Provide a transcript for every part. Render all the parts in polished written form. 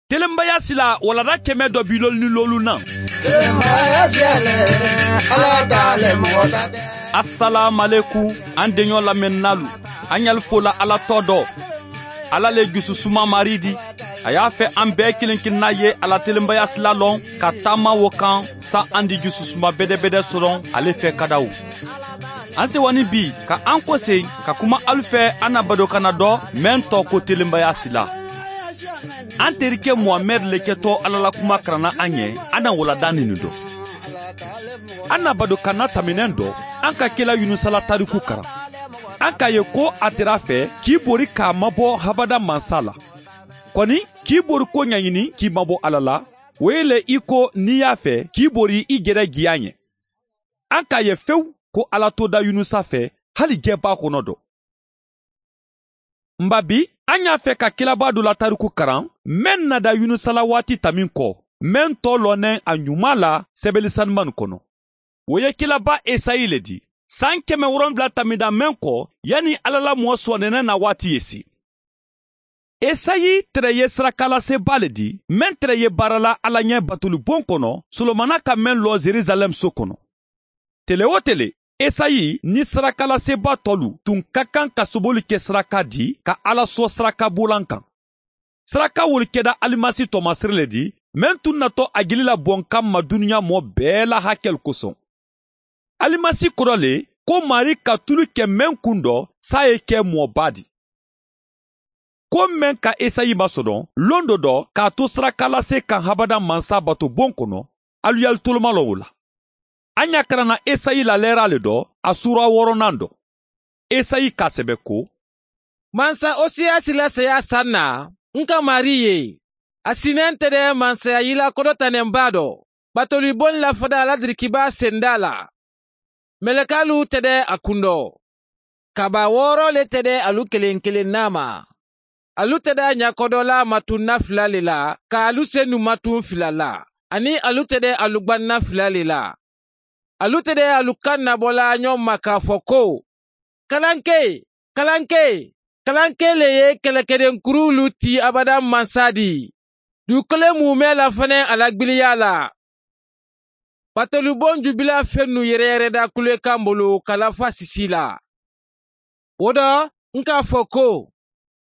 Telenbaya sila walada kɛmɛ dɔ bi lolu ni lolu na. Assalamu an deɲɔ lamɛnnalu, an y'al fola Ala tɔ dɔ. Ala le jususuma mari di. A y'a fɛ an bɛɛ kelen kelenna ye ala telenbaya sila lɔn ka taama wo kan sa an di jususuma bɛdɛbɛdɛ sɔrɔ ale fɛ kadaw. An sewani bi ka an kɔsen ka kuma alu fɛ an na badokana dɔ mɛn tɔ ko telenbaya sila. An terikɛ Muhamɛd le kɛtɔ Ala la kuma karanna an ɲɛ, an na walada nin dɔ. An na badokana taminɛn dɔ, an ka kela Yunusala tariku karan. An k'a ye ko a tɛr'a fɛ k'i bori k'a mabɔ habada mansa la. Kɔni k'i bori ko ɲaɲini k'i mabɔ Ala la, o ye le i ko n'i y'a fɛ k'i bori i gɛrɛ giya ɲɛ. An k'a ye fewu ko Ala to da Yunusa fɛ hali jɛba kɔnɔ dɔ. Nba bi, an y'a fɛ ka kelaba dɔ la tariku karan mɛn nada Yunusala waati tamin kɔ, mɛn tɔ lɔnɛ a ɲuman la sɛbɛli sanuman kɔnɔ. O ye kelaba Esayi le di. San 700 tamida mɛn kɔ, yanni Ala la mɔɔ sɔnɛnɛ na waati ye se. Esayi tɛrɛ ye sarakalaseba le di, mɛn tɛrɛ ye baara la Ala ɲɛ batolibon kɔnɔ, Solomana ka mɛn lɔ Jerusalɛm so kɔnɔ. Tele o tele, Esayi ni sarakalaseba tɔlu tun ka kan ka soboli kɛ saraka di ka Ala sɔ sarakabolan kan. Saraka wolu kɛda alimasi tɔmasere le di, mɛn tun natɔ a gili la bɔn kan ma dunuya mɔ bɛɛ la hakɛli kosɔn. Alimasi kɔrɔ le ko Mari ka tulu kɛ mɛn kun dɔ sa ye kɛ mɔba di. Ko mɛn ka Esayi masɔrɔ lon dɔ dɔ k'a to sarakalase kan habada mansa bato bon kɔnɔ, alu y'alu toloma lɔ o la. An y'a karanna Esayi la lɛra le dɔ, a sura wɔɔrɔnan dɔ. Esayi k'a sɛbɛ ko: Mansa Osiyasi la saya san na, n ka Mari ye. A sinɛn tɛ dɛ mansaya yila kɔdɔtanɛnba dɔ. Batolibon la fada la dirikiba senda la. Mɛlɛkalu tɛ dɛ a kun dɔ. Kaba wɔɔrɔ le tɛ dɛ alu kelen kelen n'a ma. Alu tɛ dɛ ɲakɔdɔla matunna fila le la, ka alu senu matun fila la. Ani alu tɛ dɛ alu gbanna fila le la. Alu tɛ dɛ alu kan nabɔla ɲɔgɔn ma k'a fɔ ko kalanke kalanke kalanke le ye kɛlɛkɛdenkurulu ti abada mansa di. Dugukolo mumɛ la fɛnɛ a la gbiliya la. Batolibon jubila fɛn nu yɛrɛ yɛrɛ da kulekan bolo ka lafa sisi la. O dɔ n k'a fɔ ko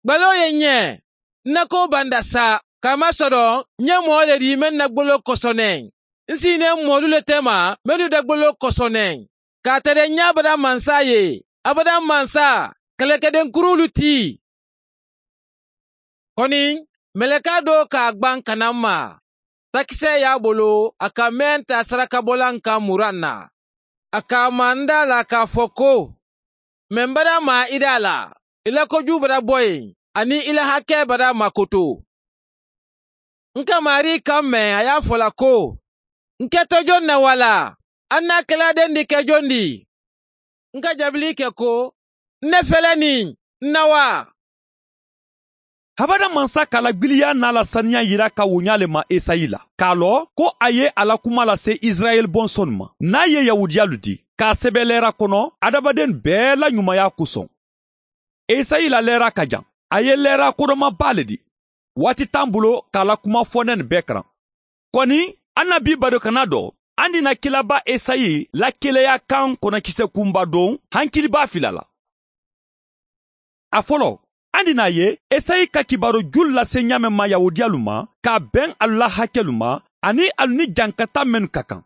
gbalo ye ɲɛ n na ko banda sa k'a masɔrɔ n ye mɔɔ le di mɛn na gbolo kɔsɔnɛ. N sinɛ mɔlu le tɛ ma mɛlu da gbolo kɔsɔnɛ. K'a tɛrɛ ɲɛ abada mansa ye abada mansa kɛlɛkɛdenkurulu ti. Kɔni mɛlɛka dɔ k'a gban ka na n ma. Takisɛ y'a bolo a ka mɛn ta sarakabɔlan kan muran na. A k'a manda la k'a fɔ ko mɛ n bada ma i da la, i la kojugu bada bɔ yen ani i la hakɛ bada makoto. N ka Mari kan mɛn a y'a fɔ la ko n kɛtɔ jɔn na wala an n'a kɛladen di kɛ jɔn di. N ka jaabili kɛ ko ne fɛlɛ nin n na wa. Habada mansa k'a la gbiliya n'a la saniya yira ka woɲa le ma Esayi la. K'a lɔ ko a ye a la kuma lase Israɛl bɔnsɔn ma, n'a ye Yahudiyalu di, k'a sɛbɛ lɛra kɔnɔ adamaden bɛɛ la ɲumanya kosɔn. Esayi la lɛra ka jan, a ye lɛra kodɔnmaba le di. Waati t'an bolo k'a la kuma fɔnɛ nin bɛɛ karan. Kɔni, an na bi badokana dɔ, an dina kelaba Esayi la keleya kan kɔnɔkisɛ kunba don hankiliba fila la. A fɔlɔ, an dina ye Esayi ka kibaru julu lase ɲamɛ ma Yahudiyalu ma, k'a bɛn alu la hakɛlu ma, ani alu ni jankata minnu ka kan.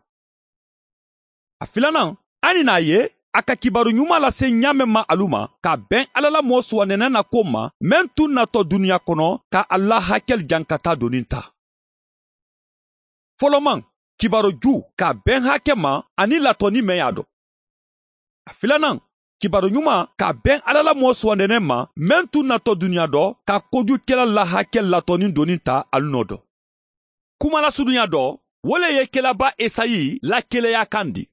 A filanan, an dina ye a ka kibaru ɲuman lase ɲamɛ ma alu ma, k'a bɛn Ala la mɔɔ suwanɛnɛ na ko ma, mɛn tun natɔ dunuya kɔnɔ, ka alu la hakɛli jankata doni ta. Fɔlɔman, kibaru ju k'a bɛn hakɛ ma ani latɔni mɛn y'a dɔn. A filanan, kibaru ɲuman k'a bɛn Ala la mɔɔ suwanɛnɛ ma, mɛn tun natɔ dunuya dɔ, ka kojukɛla la hakɛ latɔni doni ta alu nɔ dɔ. Kuma lasurunya dɔ, wo le ye kelaba Esayi la keleya kan di.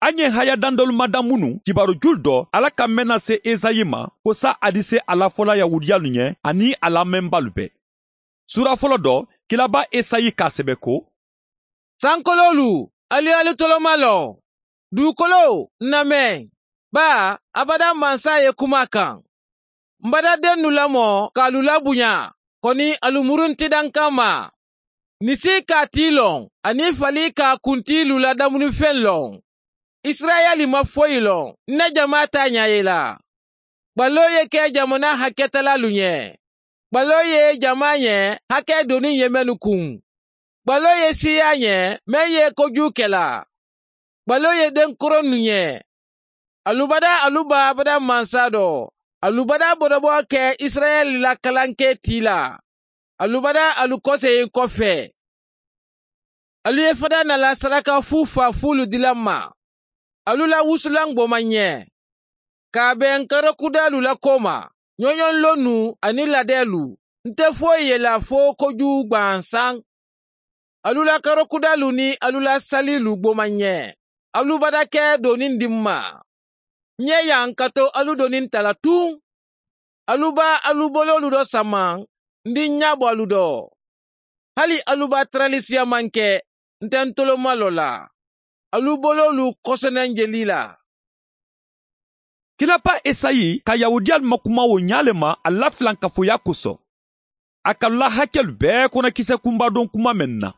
An ye haya dandɔlu mada minnu kibaru julu dɔ Ala ka mɛn na se Esayi ma, ko sa a di se a la fɔla Yahudiyalu ɲɛ ani a lamɛnbalu bɛɛ. Sura fɔlɔ dɔ, kelaba Esayi k'a sɛbɛ ko: Sankololu, alu y'alu toloma lɔ. Dugukolo, namɛn. Ba, abada mansa ye kuma kan. N bada den nu lamɔ k'alu labonya. Kɔni alu muruntidan kama. Nisi k'a ti lɔn ani fali k'a kuntilu la damunifɛn lɔn. Israɛli ma foyi lɔn, ne jama t'a ɲɛ ye la. Gbalo ye kɛ jamana hakɛtalalu ɲɛ. Gbalo ye jama ɲɛ hakɛ doni ye mɛnnu kun. Gbalo ye siya ɲɛ mɛn ye kojugu kɛla. Gbalo ye denkɔrɔ nu ɲɛ. Alubada aluba abada mansa dɔ. Alubada bɔdɔbɔ kɛ Israɛli la kalanke ti la. Alubada alu kɔsegin kɔfɛ. Alu ye fada nala saraka fu fa fulu dila ma. Alu la wusulan gbɔma ɲɛ. K'a bɛn karakudalu la ko ma. Ɲɔɲɔn lonu ani ladɛlu. N tɛ foyi ye la fo kojugu gwansan. Alu la karakudalu ni alu la salilu gbɔma ɲɛ. Alu bada kɛ doni di n ma. Ɲɛ yan ka to alu doni ta la tun. Alu ba alu bololu dɔ sama. N di ɲa bɔ alu dɔ. Hali alu ba taralisiya man kɛ. N tɛ n toloma lɔ la. Alu bololu kɔsɛnɛ jeli la. Kilaba Esayi ka Yahudiyalu ma kuma o ɲa le ma a la filankafoya kosɔn. A ka la hakɛlu bɛɛ kɔnɔ kisɛ kunba dɔn kuma mɛn na.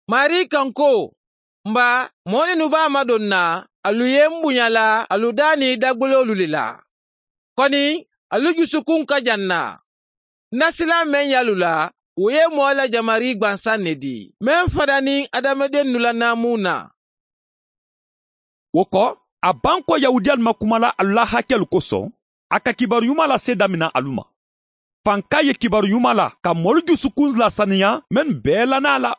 Mari kan ko, nba mɔɔ minnu b'a madon na, alu ye n bonya la, alu da ni dagbololu le la. Kɔni, alu jusukun ka jan na. Nasila mɛn y'alu la, o ye mɔɔ la jamari gwansan ne di. Mɛn fada ni adamaden nu la naamu na. O kɔ, a ban kɔ Yahudiyalu ma kuma la alu la hakɛlu kosɔn, a ka kibaru ɲuman lase damina alu ma. Fanka ye kibaru ɲuman la ka mɔlu dusukun lasaniya mɛn bɛɛ la n'a la.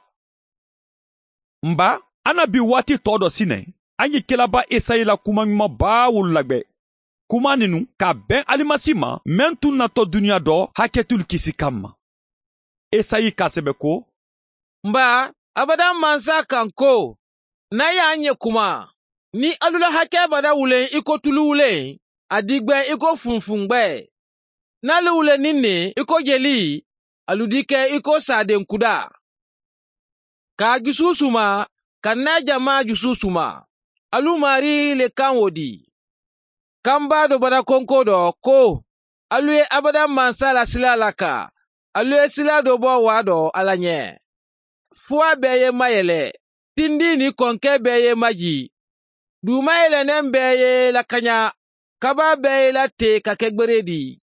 Nba, an na bi waati tɔ dɔ sinɛ, an ye kelaba Esayi la kuma ɲuman baa wolu lagbɛ. Kuma ninu ka bɛn alimasi ma mɛn tun natɔ duniya dɔ hakɛtulu kisi kama. Esayi k'a sɛbɛ ko, Nba, abada mansa kan ko, n'a y'an ɲɛ kuma, ni alu la hakɛ bada wulen i ko tulu wulen, a digbɛ i ko funfungbɛ. N'alu wulen ni ne i ko jeli, alu di kɛ i ko saden kuda. K'a jusu suma, ka n'a jama jusu suma. Alu mari le kan wo di. Kanba dɔ bada konko dɔ ko, alu ye abada mansa la sila la ka, alu ye sila dɔ bɔ wa dɔ ala ɲɛ. Fuwa bɛɛ ye mayɛlɛ, tindi ni kɔnkɛ bɛɛ ye maji. Dugumayɛlɛnɛn bɛɛ ye lakanya, kaba bɛɛ ye late ka kɛ gbere di.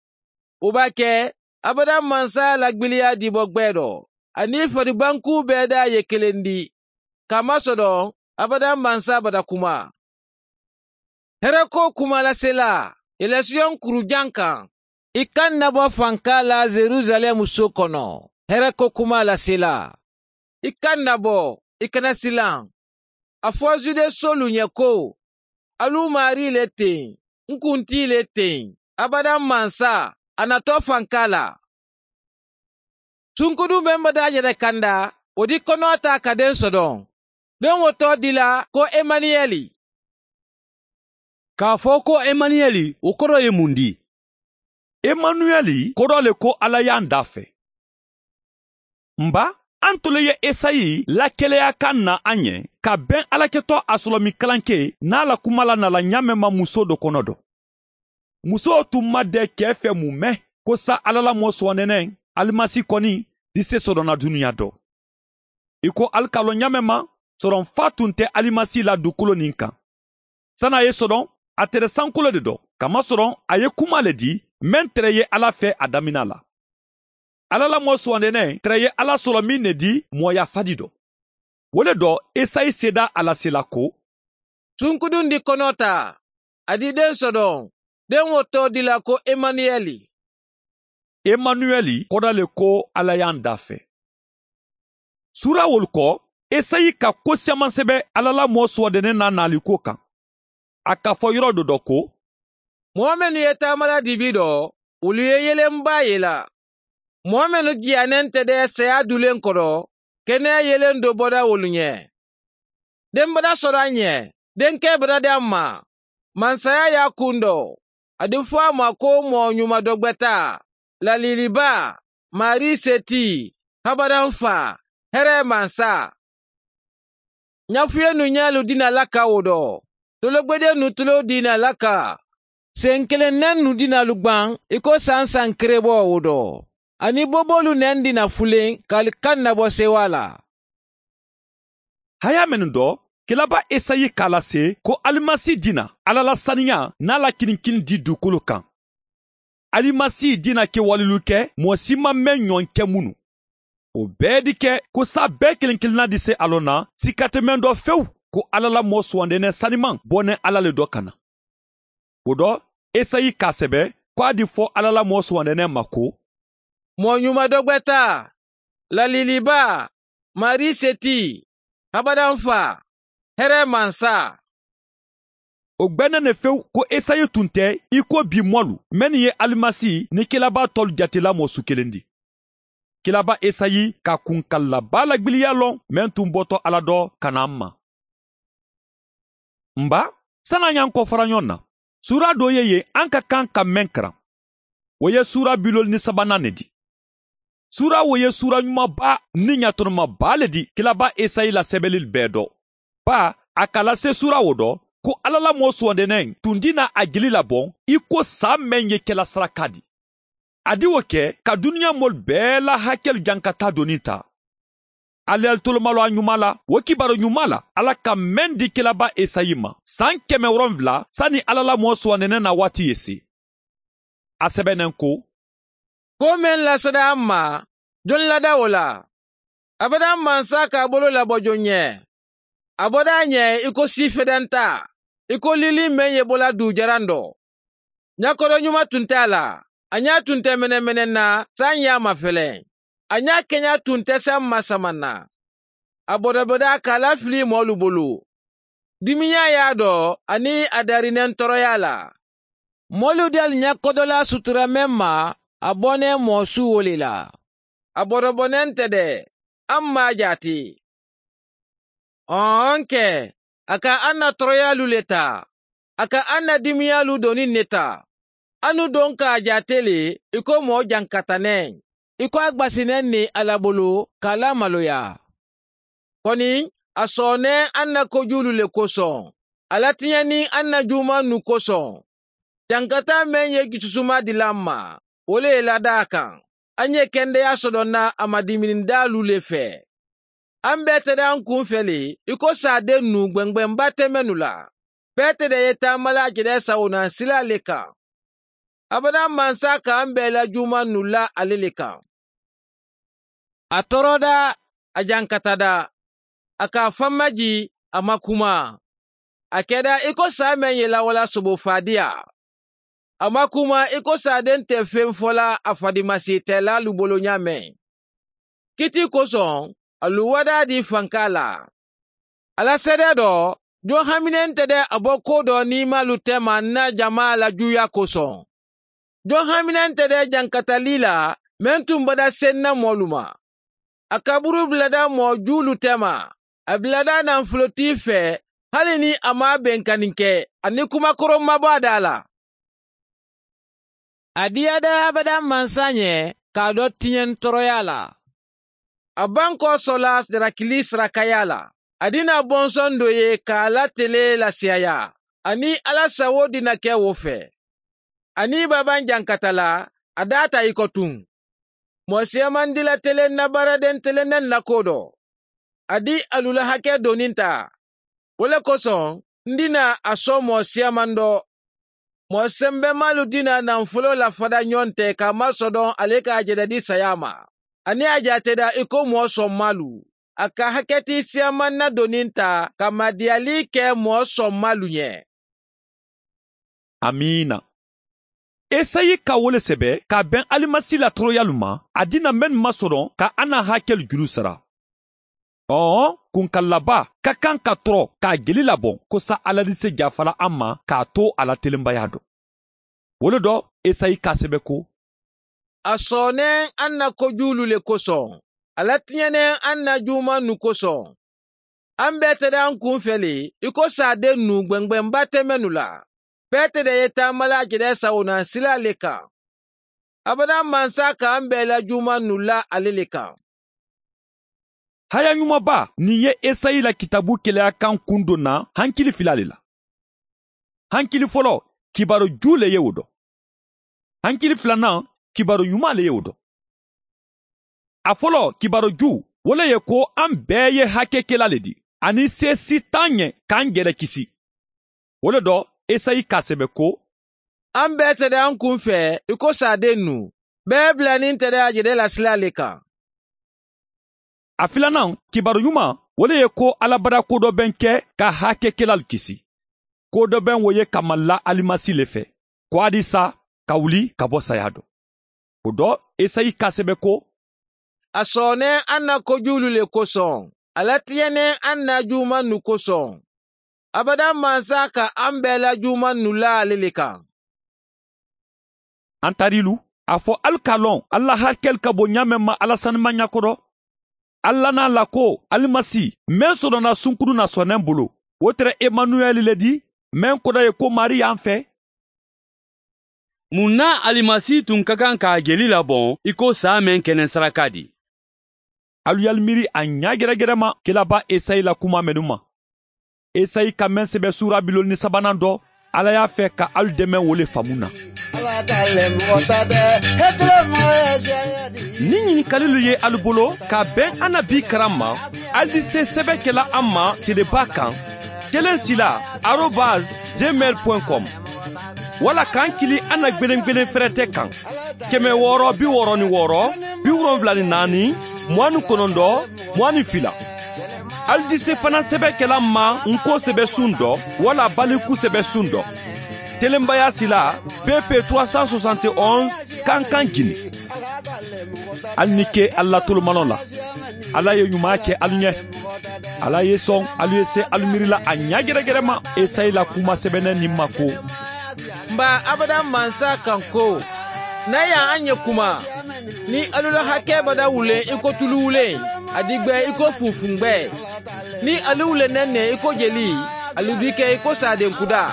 O b'a kɛ abada mansa lagbiliya di bɔ gbɛ dɔ, ani faribanku bɛɛ da ye kelen di. Kamasɔrɔ abada mansa bada kuma. Hɛrɛko kuma lasela, yɛlɛsiyɔn kurujan kan. I kan nabɔ fanka la Jerusalɛmu so kɔnɔ. Hɛrɛko kuma lasela. I kan nabɔ, i kana silan. A fɔ Zude solu ɲɛ ko, alu mari le ten, n kunti le ten, abada mansa, a natɔ fanka la. Sunkudu bɛ bada yɛrɛ kanda, o di kɔnɔ ta ka den sɔdɔn. Den wotɔ di la ko Emaniyɛli. K'a fɔ ko Emaniyɛli, o kɔrɔ ye mun di? Emanuɛli kɔrɔ le ko Ala y'an da fɛ. Nba, an tole ye Esayi lakɛlɛya kan na an ɲɛ ka bɛn Alakɛtɔ a sɔrɔmi kalanke n'a la kuma la nala ɲamɛ ma muso dɔ kɔnɔ dɔ. Muso tun ma dɛ kɛ fɛ mun mɛn ko sa Ala la mɔ sɔnɛnɛ alimasi kɔni di se sɔrɔna dunuya dɔ. I ko alikalɔ ɲamɛ ma sɔrɔn fa tun tɛ alimasi la dugukolo nin kan. San'a ye sɔrɔn a tɛrɛ sankolo de dɔ kamasɔrɔ a ye kuma le di mɛn tɛrɛ ye Ala fɛ a damina la. Ala la mɔ sɔnɛnɛ tɛrɛ ye Ala sɔrɔ min ne di mɔya fadi dɔ. O le dɔ Esayi seda a la sela ko, Sunkudun di kɔnɔ ta, a di den sɔdɔn, den wotɔ di la ko Emaniyɛli. Emanuɛli kɔrɔ le ko Ala y'an da fɛ. Sura wolu kɔ, Esayi ka ko siaman sɛbɛ Ala la mɔ sɔdɛnɛ n'a naliko kan. A k'a fɔ yɔrɔ dɔ dɔ ko, Mɔgɔ minnu ye taamala dibi dɔ, olu ye yelenba ye la. Mɔgɔ minnu jiyanen tɛ dɛ saya dulen kɔrɔ, kɛnɛya yelen dɔ bɔra olu ɲɛ. Den bada sɔrɔ an ɲɛ, denkɛ bada di an ma. Mansaya y'a kun dɔ. A di fɔ a ma ko mɔgɔ ɲuman dɔgbɛta, laliliba, mari seti, habadan fa, hɛrɛ mansa. Ɲafuye nu ɲalu dina laka o dɔ. Tologbede nu tulo dina laka. Sen kelen nɛn nu dina lu gban, i ko san san kerebɔ o dɔ. Ani bobolu nɛn dina fulen k'ali kan nabɔ sewa la. Haya minnu dɔ, kilaba Esayi k'a lase ko Alimasi dina Ala la saniya n'a la kininkini di dugukolo kan. Alimasi dina kɛwalelu kɛ mɔgɔ si ma mɛn ɲɔgɔn kɛ minnu. O bɛɛ di kɛ ko sa bɛɛ kelen kelenna di se a lɔn na sika tɛ mɛn dɔ fewu ko Ala la mɔɔ sugandenen saniman bɔnɛ Ala le dɔ ka na. O dɔ, Esayi k'a sɛbɛ ko a di fɔ Ala la mɔɔ sugandenen ma ko mɔɔ ɲuman dɔ gbɛta, laliliba, Mari seti, habadan fa, hɛrɛ mansa. O gbɛnɛ ne fewu ko Esayi tun tɛ i ko bi mɔlu mɛnni ye Alimasi ni kilaba tɔlu jatela mɔ su kelen di. Kilaba Esayi ka kunkalaba lagbiliya lɔn mɛn tun bɔtɔ Ala dɔ ka na an ma. Nba, san'an y'an kɔfara ɲɔgɔn na, sura dɔ ye yen an ka kan ka mɛn karan. O ye sura 53nan ne di. Sura o ye sura ɲumanba ni ɲatɔnɔmaba le di kilaba Esayi la sɛbɛnli bɛɛ dɔ. Ba, a ka lase sura o dɔ ko Ala la mɔɔ sugandenen tun dina a jeli labɔn i ko sa mɛn ye kɛla saraka di. A di o kɛ ka duniya mɔli bɛɛ la hakɛlu jankata doni ta. Aliyali tolomalo a ɲuman la, o kibaru ɲuman la, Ala ka mɛn di kilaba Esayi ma san 700 sani Ala la mɔɔ sugandenen na waati ye se. A sɛbɛnnen ko ko mɛn lasada an ma, jon lada o la. Abadan mansa k'a bolo labɔ jon ɲɛ. A bɔda a ɲɛ i ko sifɛdɛnta, i ko lili mɛn ye bɔla dujaran dɔ. Ɲakɔrɔ ɲuman tun tɛ a la, a ɲa tun tɛ mɛnɛmɛnɛ na san y'a mafɛlɛ. A ɲa kɛɲa tun tɛ san masaman na. A bɔdɔbɔda k'a lafili mɔɔlu bolo. Dimiya y'a dɔ ani a darinɛn tɔɔrɔya la. Mɔɔlu del ɲakɔdɔla sutura mɛn ma, a bɔnɛ mɔɔ su wole la. A bɔdɔbɔnɛn tɛ dɛ, an m'a jate. Ɔn kɛ, a ka an na tɔɔrɔyalu le ta, a ka an na dimiyalu doni ne ta. Anu don k'a jate le i ko mɔɔ jankatanɛ, i ko a gbasinɛ ni Ala bolo k'a lamaloya. Kɔni, a sɔnnɛ an na kojulu le kosɔn, a latiɲɛni an na juman nu kosɔn. Jankata mɛn ye jususuma dila an ma, o le ye lada a kan. An ye kɛndɛya sɔrɔ na a madiminindalu le fɛ. An bɛɛ tɛ an kun fɛ le i ko saden nu gbɛngbɛnba tɛ mɛnnu la. Bɛɛ tɛ ye taamala jɛrɛ sawona sila le kan. Abadan mansa k'an bɛɛ la juman nu la ale le kan. A tɔɔrɔda, a jankatada, a k'a fanmaji, a ma kuma. A kɛra i ko sa mɛn ye lawala sobo fadiya. A ma kuma i ko saden tɛ fɛn fɔla a fadimasi tɛ l'alu bolo ɲa mɛn. Kiti kosɔn, alu wada di fanka la. Ala sɛdɛ dɔ, jɔn haminen tɛ dɛ a bɔ ko dɔ n'i m'alu tɛma na jama la juya kosɔn. Jɔn haminen tɛ dɛ jankatali la, mɛn tun bada sen na mɔlu ma. A kaburu bilada mɔɔ julu tɛma, a bilada nanfolotigi fɛ, hali ni a ma bɛnkanni kɛ, ani kumakɔrɔ ma bɔ a da la. A diyada abada mansa ɲɛ k'a dɔ tiɲɛ tɔɔrɔya la. A ban kɔ sɔla jarakili sarakaya la. A dina bɔnsɔn dɔ ye k'a latele lasiyaya, ani Ala sago dina kɛ o fɛ. Ani baban jankata la, a da ta i kɔ tun. Mɔɔ siyaman dila telen na baaraden telenen na ko dɔ. A di alu la hakɛ doni ta. O le kosɔn, n dina a sɔn mɔɔ siyaman dɔ. Mɔɔ sɛnbɛmalu dina nafolo lafada ɲɔgɔn tɛ k'a masɔdɔn ale k'a jɛrɛ di saya ma. Ani a jateda i ko mɔɔ sɔnmalu. A ka hakɛti siyaman na doni ta ka madiyali kɛ mɔɔ sɔnmalu ɲɛ. Amiina. Esayi ka wole sɛbɛ k'a bɛn Alimasi la tɔɔrɔyalu ma, a dina mɛn masɔrɔ ka an na hakɛlu juru sara. Ɔɔ, kunkalaba ka kan ka tɔɔrɔ k'a jeli labɔn ko sa Ala di se jafala an ma k'a to a la telenbaya dɔ. O le dɔ, Esayi k'a sɛbɛ ko a sɔnnɛ an na kojulu le kosɔn, a latiɲɛnɛ an na juman nu kosɔn. An bɛɛ tɛ an kun fɛ le i ko saden nu gbɛngbɛnba tɛ mɛnnu la. Bɛɛ tɛ ye taamala jɛrɛ sawona sila le kan. Abadan mansa k'an bɛɛ la juman nu la ale le kan. Haya ɲumanba nin ye Esayi la kitabu keleya kan kun don na hankili fila le la. Hankili fɔlɔ, kibaru ju le ye o dɔ. Hankili filanan, kibaru ɲuman le ye o dɔ. A fɔlɔ kibaruju wo le ye ko an bɛɛ ye hakɛkɛla le di, ani se si t'an ɲɛ k'an yɛrɛ kisi. O le dɔ Esayi k'a sɛbɛ ko: An bɛɛ tɛ an kun fɛ i ko saden nu, bɛɛ bilanin tɛ a jɛrɛ la sila le kan. A filanan kibaru ɲuman o le ye ko Ala bara ko dɔ bɛn kɛ ka hakɛkɛlalu kisi. Ko dɔ bɛn o ye kamala Alimasi le fɛ, ko a di sa ka wuli ka bɔ saya dɔ. O dɔ Esayi k'a sɛbɛ ko: A sɔnnen an na kojulu le kosɔn, a latiɲɛnen an na juman nu kosɔn. Abada mansa ka an bɛɛ la juman nu la ale le kan. An tarilu, a fɔ alu k'a lɔn Ala hakɛli ka bon ɲa mɛn ma Ala sanuma ɲakɔrɔ. Ala n'a la ko Alimasi mɛn sɔrɔna sunkuru na sɔnɛ bolo, o tɛrɛ Emanuɛli le di, mɛn kɔrɔ ye ko Mari y'an fɛ. Mun na Alimasi tun ka kan k'a jeli labɔn i ko saa mɛn kɛnɛ saraka di? Alu y'alu miiri a ɲa gɛrɛgɛrɛ ma kelaba Esayi la kuma mɛnu ma. Esayi ka mɛn sɛbɛ sura 53nan dɔ, Ala y'a fɛ ka alu dɛmɛ wo le faamu na. Ni ɲininkalilu ye alu bolo ka bɛn an na bi karan ma, alu di se sɛbɛ kɛla an ma teleba kan 1 sila@gmail.com wala k'an kili an na gwelen fɛrɛtɛ kan 666 74 29 22. Alu di se fana sɛbɛ kɛla ma nko sɛbɛ sun dɔ wala baliku sɛbɛ sun dɔ. Telenbaya sila PP 371 Kankan Guinée. Alu ni ke Ala tolomanɔ la. Ala ye ɲuman kɛ alu ɲɛ. Ala ye sɔn alu ye se alu miirila a ɲa gɛrɛgɛrɛ ma Esayi la kuma sɛbɛnɛ nin ma ko: Nba abada mansa kan ko, n'a y'an ɲɛ kuma, ni alu la hakɛ bada wulen i ko tulu wulen, a di gbɛ i ko funfungbɛ. Ni alu wulen nɛ i ko jeli, alu bi kɛ i ko saden kuda.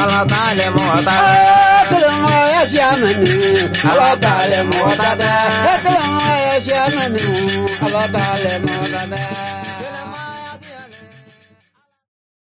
Ala